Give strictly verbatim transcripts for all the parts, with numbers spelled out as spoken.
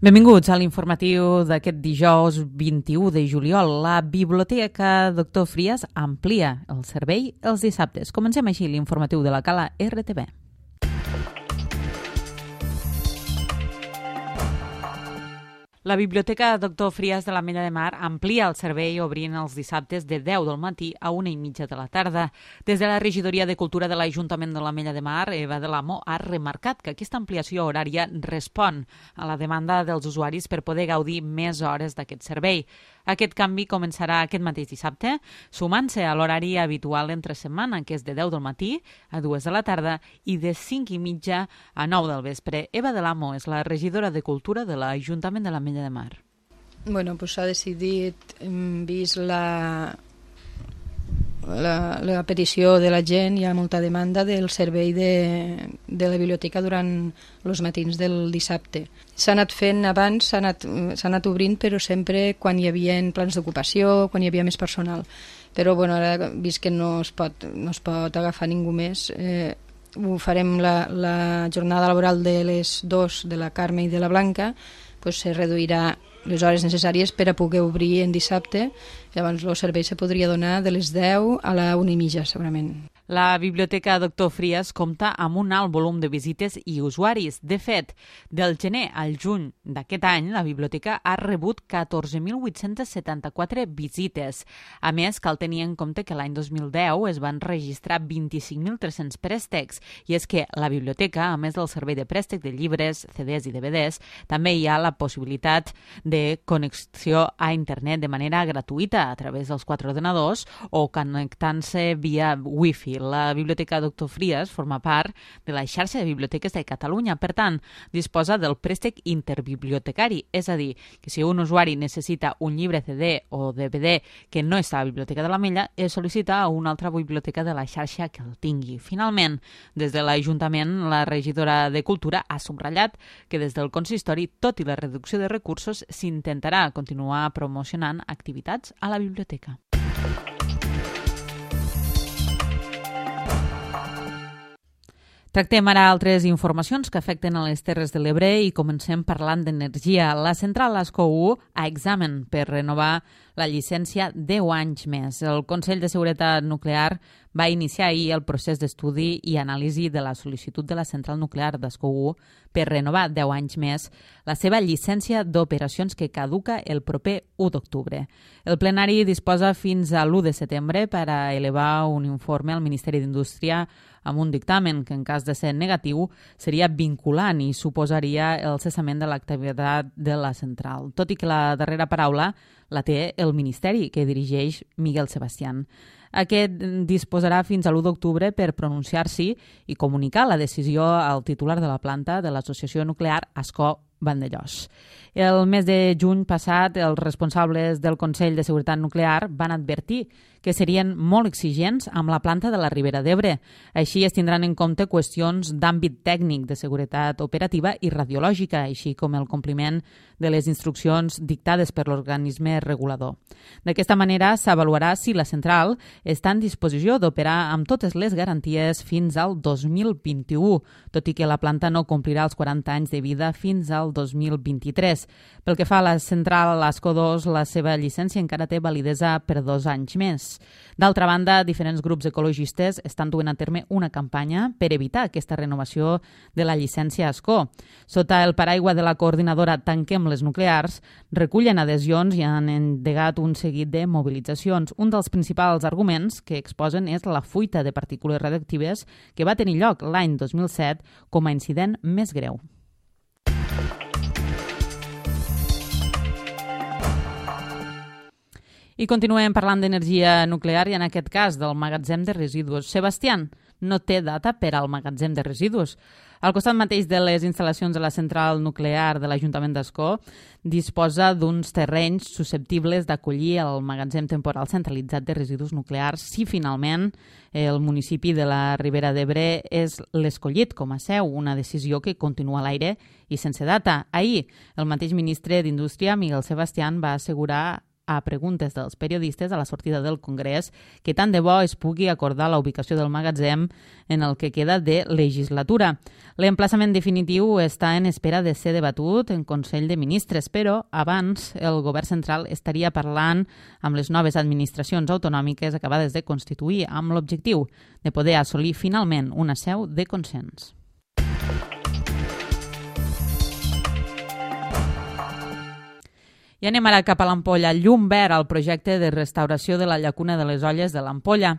Benvinguts a l'informatiu d'aquest dijous vint-i-u de juliol. La Biblioteca Doctor Frias amplia el servei els dissabtes. Comencem així l'informatiu de la Cala R T B. La Biblioteca Doctor Frias de l'Ametlla de Mar amplia el servei obrint els dissabtes de deu del matí a una i mitja de la tarda. Des de la Regidoria de Cultura de l'Ajuntament de l'Ametlla de Mar, Eva de l'Amo ha remarcat que aquesta ampliació horària respon a la demanda dels usuaris per poder gaudir més hores d'aquest servei. Aquest canvi començarà aquest mateix dissabte, sumant-se a l'horari habitual entre setmana, que és de deu del matí a dues de la tarda i de cinc i mitja a nou del vespre. Eva de l'Amo és la regidora de Cultura de l'Ajuntament de l'Ametlla de Mar. Bueno, pues s'ha decidit, hem vist la, la, la petició de la gent, hi ha molta demanda del servei de, de la biblioteca durant els matins del dissabte. S'ha anat fent abans, s'ha anat, s'ha anat obrint, però sempre quan hi havia plans d'ocupació, quan hi havia més personal. Però bueno, ara vist que no es pot, no es pot agafar ningú més, eh, ho farem la, la jornada laboral de les dos, de la Carme i de la Blanca, pues se reduirà les hores necessàries per a poder obrir en dissabte. Llavors el servei se podria donar de les deu a la una i mitja, segurament. La Biblioteca Doctor Frias compta amb un alt volum de visites i usuaris. De fet, del gener al juny d'aquest any, la biblioteca ha rebut catorze mil vuit-cents setanta-quatre visites. A més, cal tenir en compte que l'any dos mil deu es van registrar vint-i-cinc mil tres-cents préstecs, i és que la biblioteca, a més del servei de préstec de llibres, C Ds i D V Ds, també hi ha la possibilitat de connexió a internet de manera gratuïta a través dels quatre ordenadors o connectant-se via Wi-Fi. La Biblioteca Doctor Frias forma part de la xarxa de biblioteques de Catalunya, per tant, disposa del préstec interbibliotecari, és a dir, que si un usuari necessita un llibre C D o D V D que no està a la Biblioteca de l'Ametlla, es sol·licita a una altra biblioteca de la xarxa que el tingui. Finalment, des de l'Ajuntament, la regidora de Cultura ha subratllat que des del consistori, tot i la reducció de recursos, s'intentarà continuar promocionant activitats a la biblioteca. Tractem ara altres informacions que afecten a les Terres de l'Ebre i comencem parlant d'energia. La central Ascó u a examen per renovar la llicència deu anys més. El Consell de Seguretat Nuclear va iniciar ahir el procés d'estudi i anàlisi de la sol·licitud de la central nuclear d'Ascó u per renovar deu anys més la seva llicència d'operacions que caduca el proper u d'octubre. El plenari disposa fins a l'u de setembre per a elevar un informe al Ministeri d'Indústria amb un dictamen que, en cas de ser negatiu, seria vinculant i suposaria el cessament de l'activitat de la central. Tot i que la darrera paraula la té el Ministeri, que dirigeix Miguel Sebastián. Aquest disposarà fins a l'u d'octubre per pronunciar-s'hi i comunicar la decisió al titular de la planta de l'Associació Nuclear Ascó Vandellòs. El mes de juny passat, els responsables del Consell de Seguretat Nuclear van advertir que serien molt exigents amb la planta de la Ribera d'Ebre. Així es tindran en compte qüestions d'àmbit tècnic de seguretat operativa i radiològica, així com el compliment de les instruccions dictades per l'organisme regulador. D'aquesta manera s'avaluarà si la central està en disposició d'operar amb totes les garanties fins al dos mil vint-i-u, tot i que la planta no complirà els quaranta anys de vida fins al dos mil vint-i-tres. Pel que fa a la central Ascó dos, la seva llicència encara té validesa per dos anys més. D'altra banda, diferents grups ecologistes estan duent a terme una campanya per evitar aquesta renovació de la llicència Ascó. Sota el paraigua de la coordinadora Tanquem les Nuclears, recullen adhesions i han endegat un seguit de mobilitzacions. Un dels principals arguments que exposen és la fuita de partícules radioactives que va tenir lloc l'any dos mil set com a incident més greu. I continuem parlant d'energia nuclear i en aquest cas del magatzem de residus. Sebastián no té data per al magatzem de residus. Al costat mateix de les instal·lacions de la central nuclear de l'Ajuntament d'Ascó disposa d'uns terrenys susceptibles d'acollir el magatzem temporal centralitzat de residus nuclears si finalment el municipi de la Ribera d'Ebre és l'escollit com a seu, una decisió que continua a l'aire i sense data. Ahir, el mateix ministre d'Indústria, Miguel Sebastián, va assegurar a preguntes dels periodistes a la sortida del Congrés que tant de bo es pugui acordar la ubicació del magatzem en el que queda de legislatura. L'emplaçament definitiu està en espera de ser debatut en Consell de Ministres, però abans el govern central estaria parlant amb les noves administracions autonòmiques acabades de constituir amb l'objectiu de poder assolir finalment una seu de consens. I anem ara cap a l'Ampolla. Llum verd al projecte de restauració de la llacuna de les Olles de l'Ampolla.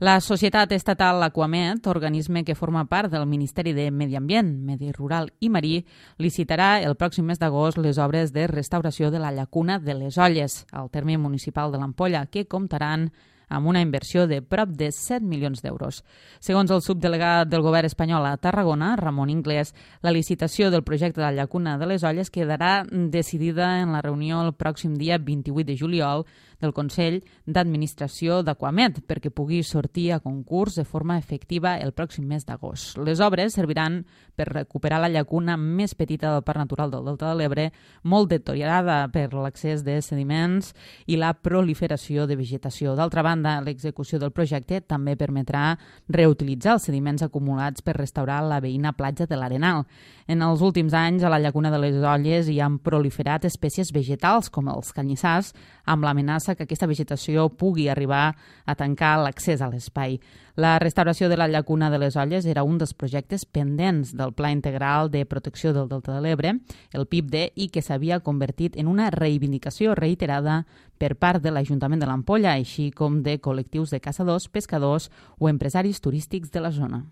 La Societat Estatal Aquamet, organisme que forma part del Ministeri de Medi Ambient, Medi Rural i Marí, licitarà el pròxim mes d'agost les obres de restauració de la llacuna de les Olles, al terme municipal de l'Ampolla, que comptaran amb una inversió de prop de set milions d'euros. Segons el subdelegat del govern espanyol a Tarragona, Ramon Inglés, la licitació del projecte de la llacuna de les Olles quedarà decidida en la reunió el pròxim dia vint-i-vuit de juliol del Consell d'Administració d'Aquamet perquè pugui sortir a concurs de forma efectiva el pròxim mes d'agost. Les obres serviran per recuperar la llacuna més petita del Parc Natural del Delta de l'Ebre, molt deteriorada per l'accés de sediments i la proliferació de vegetació. D'altra banda, l'execució del projecte també permetrà reutilitzar els sediments acumulats per restaurar la veïna platja de l'Arenal. En els últims anys, a la llacuna de les Olles hi han proliferat espècies vegetals com els canyissars, amb l'amenaça que aquesta vegetació pugui arribar a tancar l'accés a l'espai. La restauració de la llacuna de les Olles era un dels projectes pendents del Pla Integral de Protecció del Delta de l'Ebre, el P I B D, i que s'havia convertit en una reivindicació reiterada per part de l'Ajuntament de l'Ampolla, així com de col·lectius de caçadors, pescadors o empresaris turístics de la zona.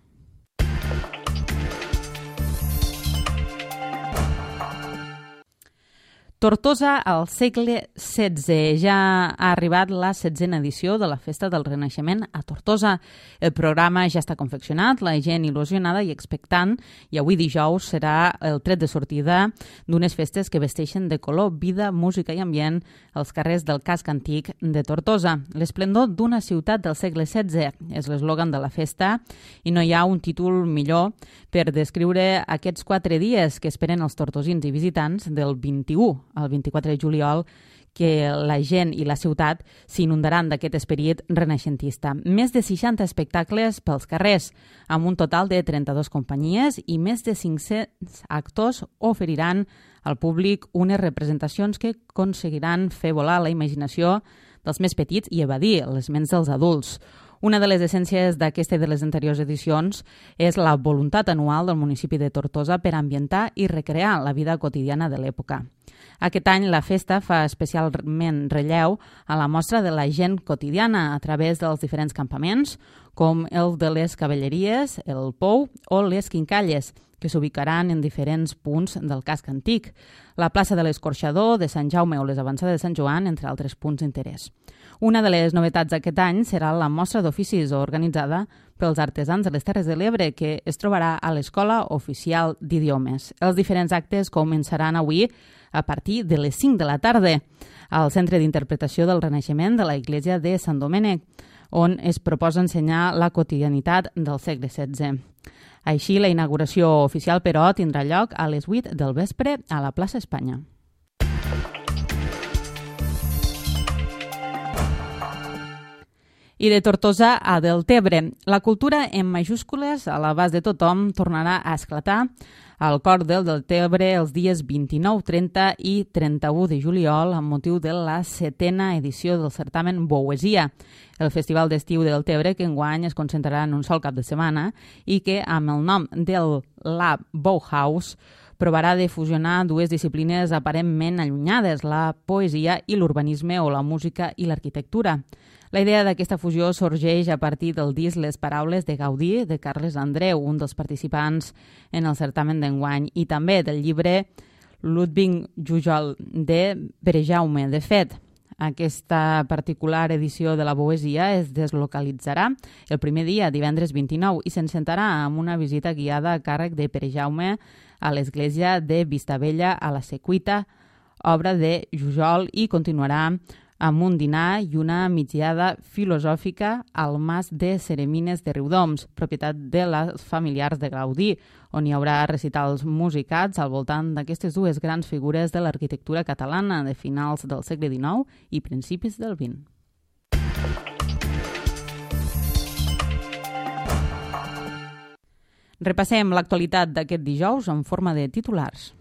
Tortosa al segle setze. Ja ha arribat la setzena edició de la Festa del Renaixement a Tortosa. El programa ja està confeccionat, la gent il·lusionada i expectant, i avui dijous serà el tret de sortida d'unes festes que vesteixen de color, vida, música i ambient als carrers del casc antic de Tortosa. L'esplendor d'una ciutat del segle setze és l'eslògan de la festa i no hi ha un títol millor per descriure aquests quatre dies que esperen els tortosins i visitants del vint-i-u al vint-i-quatre de juliol, que la gent i la ciutat s'inundaran d'aquest esperit renaixentista. Més de seixanta espectacles pels carrers, amb un total de trenta-dues companyies i més de cinc-cents actors oferiran al públic unes representacions que aconseguiran fer volar la imaginació dels més petits i evadir les ments dels adults. Una de les essències d'aquesta i de les anteriors edicions és la voluntat anual del municipi de Tortosa per ambientar i recrear la vida quotidiana de l'època. Aquest any la festa fa especialment relleu a la mostra de la gent quotidiana a través dels diferents campaments, com el de les Cavalleries, el Pou o les Quincalles, que s'ubicaran en diferents punts del casc antic, la plaça de l'Escorxador, de Sant Jaume o les avançades de Sant Joan, entre altres punts d'interès. Una de les novetats d'aquest any serà la mostra d'oficis organitzada pels artesans de les Terres de l'Ebre, que es trobarà a l'Escola Oficial d'Idiomes. Els diferents actes començaran avui a partir de les cinc de la tarda al Centre d'Interpretació del Renaixement de la Iglesia de Sant Domènec, on es proposa ensenyar la quotidianitat del segle setze. Així, la inauguració oficial, però, tindrà lloc a les vuit del vespre a la plaça Espanya. I de Tortosa a Deltebre. La cultura en majúscules a l'abast de tothom tornarà a esclatar al cor del Deltebre els dies vint-i-nou, trenta i trenta-u de juliol amb motiu de la setena edició del certamen Bouesia, el festival d'estiu de Deltebre que enguany es concentrarà en un sol cap de setmana i que, amb el nom del Lab Bauhaus, provarà de fusionar dues disciplines aparentment allunyades, la poesia i l'urbanisme o la música i l'arquitectura. La idea d'aquesta fusió sorgeix a partir del disc Les paraules de Gaudí, de Carles Andreu, un dels participants en el certamen d'enguany, i també del llibre Ludwig Jujol, de Pere Jaume. De fet, aquesta particular edició de la Bouesia es deslocalitzarà el primer dia, divendres vint-i-nou, i s'encentarà amb una visita guiada a càrrec de Pere Jaume a l'església de Vistabella a la Secuita, obra de Jujol, i continuarà amb un dinar i una migdiada filosòfica al Mas de Ceremines de Riudoms, propietat de les familiars de Gaudí, on hi haurà recitals musicats al voltant d'aquestes dues grans figures de l'arquitectura catalana de finals del segle dinou i principis del vint. Repassem l'actualitat d'aquest dijous en forma de titulars.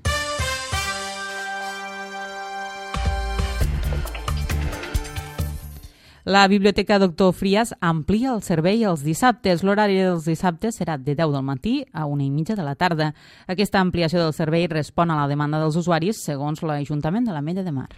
La Biblioteca Doctor Frias amplia el servei els dissabtes. L'horari dels dissabtes serà de deu del matí a una i mitja de la tarda. Aquesta ampliació del servei respon a la demanda dels usuaris, segons l'Ajuntament de l'Ametlla de Mar.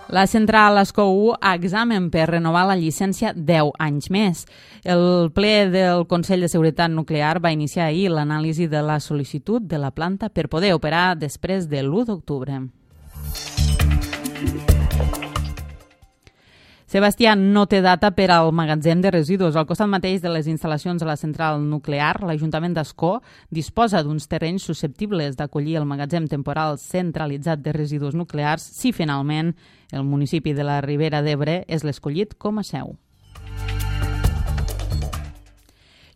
La central Escó u a examen per renovar la llicència deu anys més. El ple del Consell de Seguretat Nuclear va iniciar ahir l'anàlisi de la sol·licitud de la planta per poder operar després de l'u d'octubre. Sebastià no té data per al magatzem de residus. Al costat mateix de les instal·lacions de la central nuclear, l'Ajuntament d'Ascó disposa d'uns terrenys susceptibles d'acollir el magatzem temporal centralitzat de residus nuclears si finalment el municipi de la Ribera d'Ebre és l'escollit com a seu.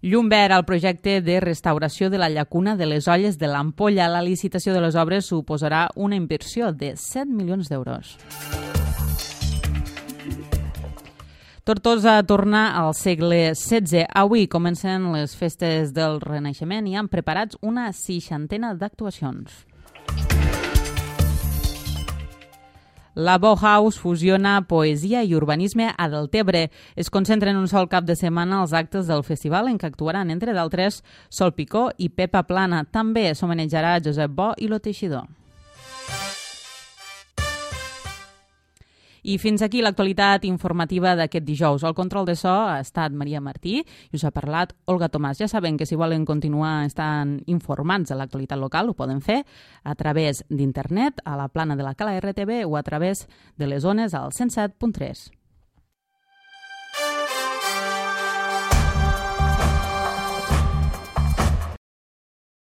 Llum verd al projecte de restauració de la llacuna de les Olles de l'Ampolla. La licitació de les obres suposarà una inversió de set milions d'euros. Tortosa torna al segle setze. Avui comencen les festes del Renaixement i han preparats una seixantena d'actuacions. La Bauhaus fusiona poesia i urbanisme a Deltebre. Es concentra en un sol cap de setmana els actes del festival en què actuaran, entre d'altres, Sol Picó i Pepa Plana. També s'homenatjarà Josep Bo i Lo Teixidor. I fins aquí l'actualitat informativa d'aquest dijous. El control de so ha estat Maria Martí i us ha parlat Olga Tomàs. Ja saben que si volen continuar estant informats de l'actualitat local ho poden fer a través d'internet, a la plana de la Cala R T V o a través de les ones al cent set punt tres.